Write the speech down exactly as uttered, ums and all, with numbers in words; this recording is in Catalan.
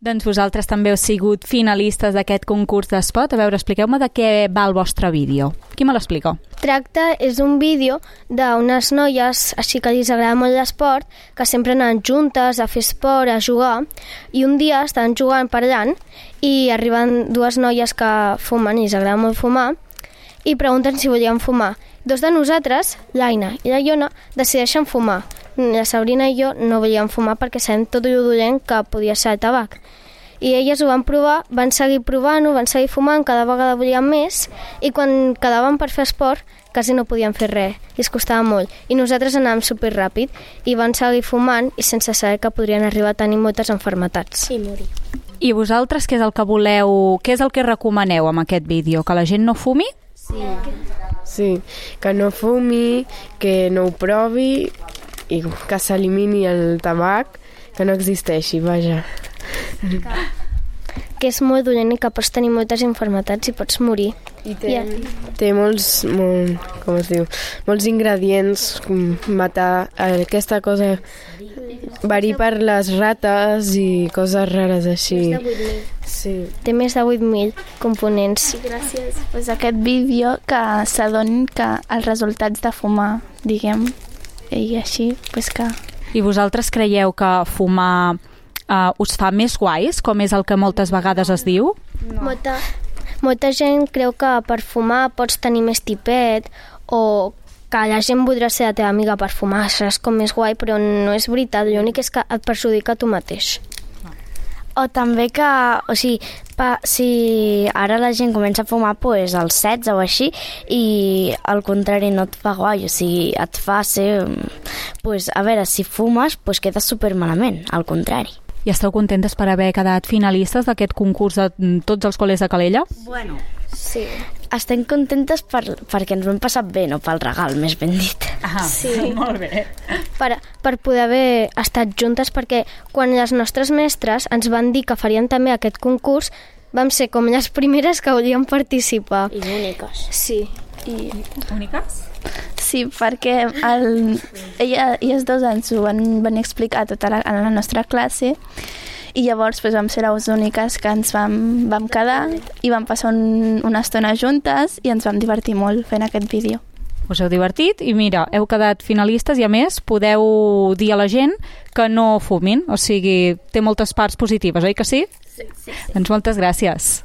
Doncs vosaltres també heu sigut finalistes d'aquest concurs d'esport. A veure, expliqueu-me de què va el vostre vídeo. Qui me l'explica? Tracta, és un vídeo d'unes noies, així que els agrada molt l'esport, que sempre anaven juntes a fer esport, a jugar, i un dia estaven jugant parlant i arriben dues noies que fumen i els agrada molt fumar i pregunten si volien fumar. Dos de nosaltres, l'Aina i la Iona, decideixen fumar. La Sabrina i jo no volíem fumar perquè sabem tot el dolent que podia ser el tabac. I elles ho van provar, van seguir provant-ho, van seguir fumant, cada vegada volien més, i quan quedaven per fer esport quasi no podien fer res, i es costava molt. I nosaltres anàvem superràpid i van seguir fumant i sense saber que podrien arribar a tenir moltes malalties. I morir. I vosaltres què és el que voleu, què és el que recomaneu amb aquest vídeo? Que la gent no fumi? Sí. Sí, que no fumi, que no ho provi i que s'elimini el tabac, que no existeixi, vaja. Que és molt dolent i que pots tenir moltes malalties i pots morir. I té, té molts, molt, com es diu, molts ingredients, matar aquesta cosa, verí per les rates i coses rares així. Més de vuit mil. Sí. Té més de vuit mil components. I gràcies pues, a aquest vídeo que s'adonin que els resultats de fumar, diguem, i així, pues que... I vosaltres creieu que fumar uh, us fa més guais, com és el que moltes vegades es diu? No. Molta, molta gent creu que per fumar pots tenir més tipet o que la gent voldrà ser la teva amiga per fumar, seràs com més guai, però no és veritat, l'únic és que et perjudica tu mateix. O també que, o sigui, pa, si ara la gent comença a fumar pues, als setze o així i al contrari no et fa guai, o sigui, et fa ser... Pues, a veure, si fumes pues, quedes supermalament, al contrari. I esteu contentes per haver quedat finalistes d'aquest concurs de tots els col·les de Calella? Bueno, sí. Estem contentes per, perquè ens ho hem passat bé, no pel regal, més ben dit. Ah, sí. Molt bé. Per, per poder haver estat juntes, perquè quan les nostres mestres ens van dir que farien també aquest concurs, vam ser com les primeres que volien participar. I úniques. Sí. I... Úniques? Sí, perquè el, ella, elles dos ens ho van venir a explicar tota la, a la nostra classe i llavors pues, vam ser les úniques que ens vam, vam quedar i vam passar un, una estona juntes i ens vam divertir molt fent aquest vídeo. Us heu divertit i mira, heu quedat finalistes i a més podeu dir a la gent que no fumin, o sigui, té moltes parts positives, oi que sí? Sí, sí, sí. Doncs moltes gràcies.